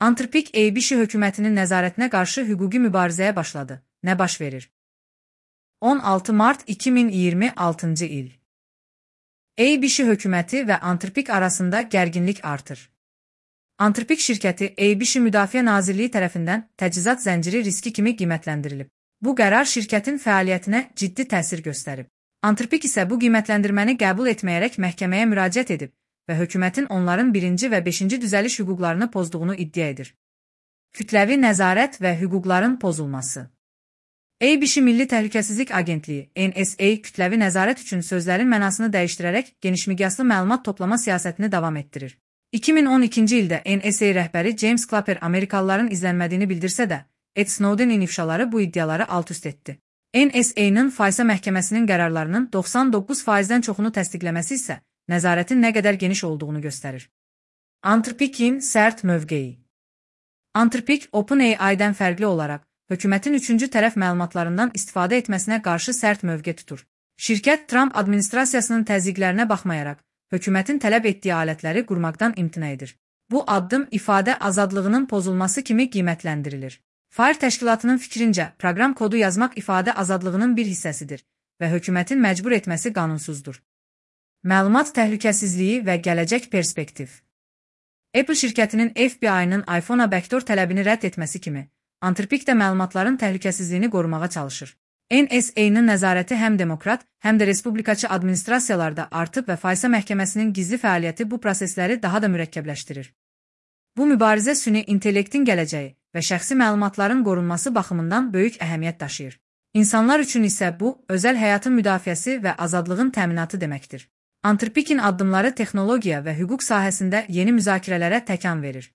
Antrpik ABC hökumətinin nəzarətinə qarşı hüquqi mübarizəyə başladı. Nə baş verir? 16 mart 2026-cı il. ABC hökuməti və Antrpik arasında gərginlik artır. Antrpik şirkəti ABC Müdafiə Nazirliyi tərəfindən təchizat zənciri riski kimi qiymətləndirilib. Bu qərar şirkətin fəaliyyətinə ciddi təsir göstərib. Antrpik isə bu qiymətləndirməni qəbul etməyərək məhkəməyə müraciət edib və hökumətin onların 1-ci və 5-ci düzəliş hüquqlarını pozduğunu iddia edir. Kütləvi nəzarət və hüquqların pozulması. ABC Milli Təhlükəsizlik Agentliyi (NSA) kütləvi nəzarət üçün sözlərin mənasını dəyişdirərək genişmiqyaslı məlumat toplama siyasətini davam etdirir. 2012-ci ildə NSA rəhbəri James Clapper Amerikalıların izlənmədiyini bildirsə də, Ed Snowdenin ifşaları bu iddiaları alt-üst etdi. NSA-nın FISA məhkəməsinin qərarlarının 99%-dən çoxunu təsdiqləməsi isə nəzarətin nə qədər geniş olduğunu göstərir. Antrpikin sərt mövqeyi. Antrpik, OpenAI-dən fərqli olaraq, hökumətin üçüncü tərəf məlumatlarından istifadə etməsinə qarşı sərt mövqe tutur. Şirkət Trump administrasiyasının təzyiqlərinə baxmayaraq, hökumətin tələb etdiyi alətləri qurmaqdan imtina edir. Bu addım ifadə azadlığının pozulması kimi qiymətləndirilir. FAIR təşkilatının fikrincə, proqram kodu yazmaq ifadə azadlığının bir hissəsidir və hökumətin məcbur etməsi qanunsuzdur. Məlumat təhlükəsizliyi və gələcək perspektiv. Apple şirkətinin FBI-nın iPhone-a backdoor tələbini rədd etməsi kimi, Antrpik də məlumatların təhlükəsizliyini qorumağa çalışır. NSA-nın nəzarəti həm demokrat, həm də respublikaçı administrasiyalarda artıb və FISA məhkəməsinin gizli fəaliyyəti bu prosesləri daha da mürəkkəbləşdirir. Bu mübarizə süni intellektin gələcəyi və şəxsi məlumatların qorunması baxımından böyük əhəmiyyət daşıyır. İnsanlar üçün isə bu, özəl həyatın müdafiəsi və azadlığın təminatı deməkdir. Antrpikin addımları texnologiya və hüquq sahəsində yeni müzakirələrə təkan verir.